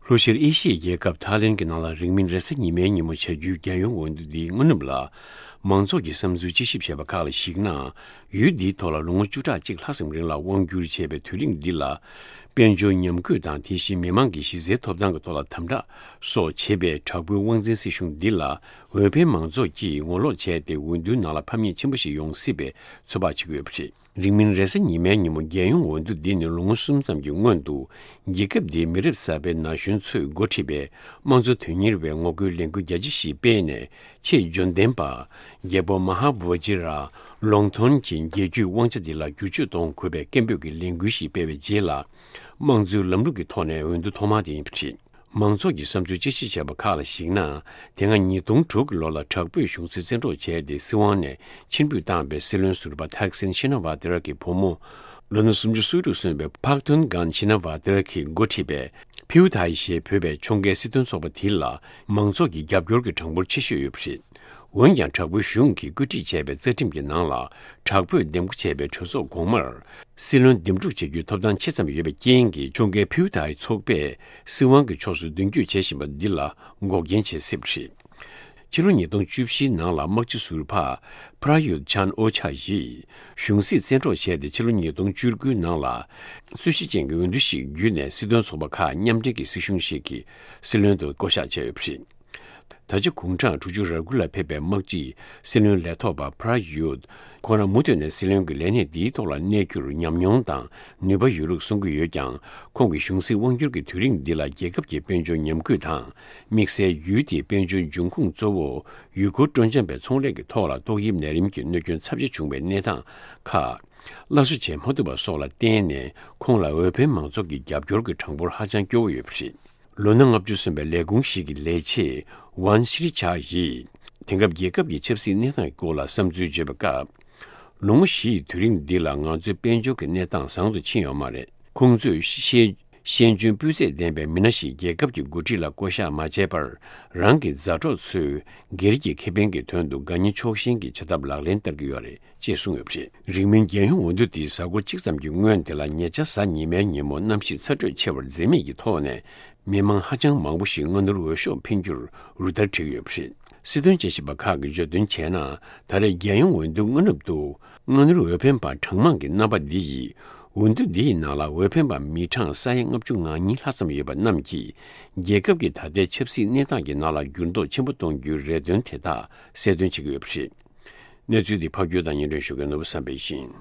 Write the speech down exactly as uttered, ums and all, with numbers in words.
ལྷོ་ཤར་ཨེ་ཤི་ཡའི་རྒྱལ་ཁབ་ཐའི་ལེན་གྱི་ནང་ལ་རིང་མིན་རེས་གཟའ་ཉི་མའི་ཉིན་མོ་བྱ་རྒྱུའི་རྒྱལ་ཡོངས་འོས་བསྡུ་འདིའི་སྔ་ནུབ་ལ། མང་ཚོགས་ཀྱི་བསམ་ཚུལ་དཔྱད་ཞིབ་བྱས་པ་ཁག་ལ་གཞིགས་ན། ཡུལ་འདིའི་ཐོག་ལ་ལོ་ངོ་བཅུ་ཕྲག་གཅིག་ལྷག་ཙམ་རིང་ལ་དབང་བསྒྱུར་བྱས་པའི་དུས་རིང་འདི་ལ། དཔལ་འབྱོར་ཉམས་རྒུད་དང་། དེ་བཞིན་མི་མང་གི་གཞི་རྩའི་ཐོབ་ཐང་གི་ཐོག་ལ་དམ་དྲག་སོགས་བྱེད་པའི་དྲག་པོའི་དབང་འཛིན་སྲིད་གཞུང་འདི་ལ། འོས་འཕེན་མང་ཚོགས་ཀྱིས་ངོ་ལོག་བྱས་ཏེ། འོས་བསྡུའི་ནང་ལ་ཕམ་ཉེས་ཆེན་པོ་ཞིག་ཡོང་སྲིད་པའི་ཚོད་དཔག་བྱེད་ཀྱི་ཡོད་པ་རེད། རིང་མིན་རེས་གཟའ་ཉི་མའི་ཉིན་མོ་རྒྱལ་ཡོངས་འོས་བསྡུ་འདི་ནི་ལོ་ངོ་གསུམ་ཙམ་གྱི་སྔོན་དུ། རྒྱལ་ཁབ་འདིའི་མི་རབས་གསར་པའི་ན་གཞོན་ཚོས་འགོ་ཁྲིད་པའི་དམངས་གཙོ་དོན་གཉེར་བས་ངོ་རྒོལ་ལས་འགུལ་རྒྱ་ཆེ་ཞིག་སྤེལ་ནས། ཆེས་འབྱོར་ལྡན་པ་རྒྱལ་པོ་མ་ཧཱ་ཝ་ཇི་ར་ལོང་ཐོན་གྱི་རྒྱལ་རྒྱུད་དབང་ཆ་འདི་ལ་བསྒྱུར་བཅོས་གཏོང་དགོས་པའི་སྐད་འབོད་ཀྱི་ལས་འགུལ་ཞིག་སྤེལ་བའི་རྗེས་ལ། དམངས་གཙོའི་ལམ་ལུགས་ཀྱི་ཐོག་ནས་འོས་བསྡུ་ཐོག་མ་དེ་ཡིན་པ་རེད། མང་ཚོགས་ཀྱི་བསམ་ཚུལ་དཔྱད་ཞིབ་བྱས་པ་ཁག་ལ་གཞིགས་ན། དེ་སྔ་ཉིས་སྟོང་དྲུག་གི་ལོ་ལ་དྲག་པོས་གཞུང་སྲིད་བཙན་འཕྲོག་བྱས་ཏེ་སྲིད་དབང་ནས་ཕྱིར་འབུད་བཏང་བའི་སྲིད་བློན་ཟུར་པ་ཐག་སིན་ཤི་ན་ཝ་ཏི་ར་གི་བུ་མོ། ལོ་ན་སུམ་ཅུ་སོ་དྲུག་སོན་པའི་ཕག་ཐོན་གྷན་ཤི་ན་ཝ་ཏི་ར་གིས་འགོ་ཁྲིད་པའི་ཕིའུ་ཐའི་ཞེས་འབོད་པའི་ཕྱོགས་འགལ་སྲིད་དོན་ཚོགས་པ་དེ་ལ་མང་ཚོགས་ཀྱི་རྒྱབ་སྐྱོར་གྱི་གྲངས་འབོར་ཆེ་ཤོས་ཡོད་པ་རེད། འོན་ཀྱང་། དྲག་པོའི་གཞུང་གིས་བཀོད་སྒྲིག་བྱས་པའི་རྩ་ཁྲིམས་ཀྱི་ནང་ལ། དྲག་པོས་འདེམས་བསྐོ་བྱས་པའི་གྲོས་ཚོགས་གོང་མར་སྲིད་བློན་འདེམས་སྒྲུག་བྱེད་རྒྱུའི་ཐོབ་ཐང་ཆེ་ཙམ་ཡོད་པའི་རྐྱེན་གྱིས། ཕྱོགས་འགལ་ཕིའུ་ཐའི་ཚོགས་པས་སྲིད་དབང་གི་ཕྱོགས་སུ་མདུན་སྐྱོད་བྱེད་བཞིན་པ་འདི་ལ་འགོག་རྐྱེན་བྱེད་སྲིད་པ་རེད། ཕྱི་ལོ་ཉིས་སྟོང་བཅུ་བཞིའི་ནང་ལ། དམག་སྤྱི་ཟུར་པ་པྲ་ཡུད་ཆན་ཨོ་ཆ་ཡིས་གཞུང་སྲིད་བཙན་འཕྲོག་བྱས་ཏེ། ཕྱི་ལོ་ཉིས་སྟོང་བཅུ་དགུའི་ནང་ལ་རྩོད་གཞི་ཅན་གྱི་འོས་བསྡུ་ཞིག་བརྒྱུད་ནས། སྲིད་དོན་ཚོགས་པ་ཁག་མཉམ་འབྲེལ་གྱི་སྲིད་གཞུང་ཞིག་གི་སྲིད་བློན་དུ་བསྐོ་གཞག་བྱས་ཡོད་པ་རེད། ད་ཆ་དགུང་གྲངས་དྲུག་ཅུ་རེ་དགུ་ལ་ཕེབས་པའི་དམག་སྤྱི་སྲིད་བློན་ལས་ཐོག་པ་པྲ་ཡུད། ཁོང་རང་མུ་མཐུད་ནས་སྲིད་བློན་གྱི་ལས་གནས་འདིའི་ཐོག་ལ་གནས་རྒྱུར་ཉམས་མྱོང་དང་ནུས་པ་ཡོད་ལུགས་གསུང་གི་ཡོད་ཀྱང་། ཁོང་གི་གཞུང་སྲིད་དབང་སྒྱུར་གྱི་དུས་རིང་འདི་ལ་རྒྱལ་ཁབ་ཀྱི་དཔལ་འབྱོར་ཉམས་རྒུད་དང་། དམིགས་བསལ་ཡུལ་དེའི་དཔལ་འབྱོར་འབྱུང་ཁུངས་གཙོ་བོ་ཡུལ་སྐོར་སྤྲོ་འཆམ་པའི་ཚོང་ལས་ཀྱི་ཐོག་ལ་ཏོག་དབྱིབས་ནད་རིམས་ཀྱི་གནོད་སྐྱོན་ཚབས་ཆེ་བྱུང་བའི་གནས་སྟངས་ཁག་སླར་གསོ་བྱེད་མ་ཐུབ་པ་སོགས་ལ་བརྟེན་ནས། ཁོང་ལ་འོས་འཕེན་མང་ཚོགས་ཀྱི་རྒྱབ་སྐྱོར་གྱི་གྲངས་འབོར་ཧ་ཅང་སྐྱོ་བོ་ཡོད་པ་རེད། ལོ་ན་ལྔ་བཅུ་སོན་པའི་ལས་ཁུངས་ཤིག་གི་ལས་བྱེད་ཝན་ཤི་རི་ཆ་ཡིས། དེང་སྐབས་རྒྱལ་ཁབ་ཀྱི་ཆབ་སྲིད་གནས་སྟངས་ཀྱི་སྐོར་ལ་བསམ་ཚུལ་བརྗོད་པའི་སྐབས། ལོ་ངོ་བཞི་ཡི་དུས་རིང་འདི་ལ་ང་ཚོའི་དཔལ་འབྱོར་གྱི་གནས་སྟངས་བཟང་དུ་ཕྱིན་ཡོད་མ་རེད། ཁོང་ཚོས་ཤེས་ཤེས་འཇོན་སྤུས་ཚད་ལྡན་པའི་མི་སྣ་ཞིག་རྒྱལ་ཁབ་ཀྱི་འགོ་ཁྲིད་ལ་བསྐོ་གཞག་མ་བྱས་པར། རང་གི་མཛའ་གྲོགས་ཚོས་སྒེར་གྱི་ཁེ་ཕན་གྱི་དོན་དུ་དགའ་ཉེ་ཕྱོགས་ཞེན་གྱི་བྱ་ཐབས་ལག་ལེན་བསྟར་གྱི་ཡོད་རེད། ཅེས་གསུངས་ཡོད་པ་རེད། རིང་མིན་རྒྱལ་ཡོངས་འོས་བསྡུ་དེའི་གཟའ་འཁོར་གཅིག་ཙམ་གྱི་སྔོན་དེ་ལ། ཉེ་ཆར་གཟའ་ཉི་མའི་ཉིན་མོ་གནམ་གཤིས་ཚ་དྲོད་ཆེ་བར་འཛེམ་མེད་ཀྱི་ཐོག་ནས། མི་མང་ཧ་ཅང་མང་པོ་ཞིག་སྔ་སྣུར་འོས་ཤོག་འཕེན་རྒྱུར་རུ་སྟར་བསྒྲིགས་ཡོད་པ་རེད། སྲིད་དོན་དཔྱད་ཞིབ་པ་ཁག་གིས་བརྗོད་དོན་བྱས་ན། ད་རེས་རྒྱལ་ཡོངས་འོས་བསྡུ་སྔ་ནུབ་ཏུ། སྔ་སྣུར་འོས་འཕེན་པ་གྲངས་མང་གི་རྣམ་པ་འདི་ཡིས། འོས་བསྡུ་འདི་ཡི་ནང་ལ་འོས་འཕེན་པ་མི་གྲངས་ས་ཡ་ལྔ་བཅུ་ང་གཉིས་ལྷག་ཙམ་ཡོད་པ་རྣམས་ཀྱིས། རྒྱལ་ཁབ་ཀྱི་ད་ལྟའི་ཆབ་སྲིད་གནས་སྟངས་ཀྱི་ནང་ལ་འགྱུར་ལྡོག་ཆེན་པོ་གཏོང་རྒྱུའི་རེ་འདུན་དེ་དག་གསལ་སྟོན་བྱེད་ཀྱི་ཡོད་པ་རེད། གནས་ཚུལ་འདི་ཕབ་སྒྱུར་དང་སྙན་སྒྲོན་ཞུ་མཁན་ནོར་བུ་བསམ་འཕེལ་ཡིན།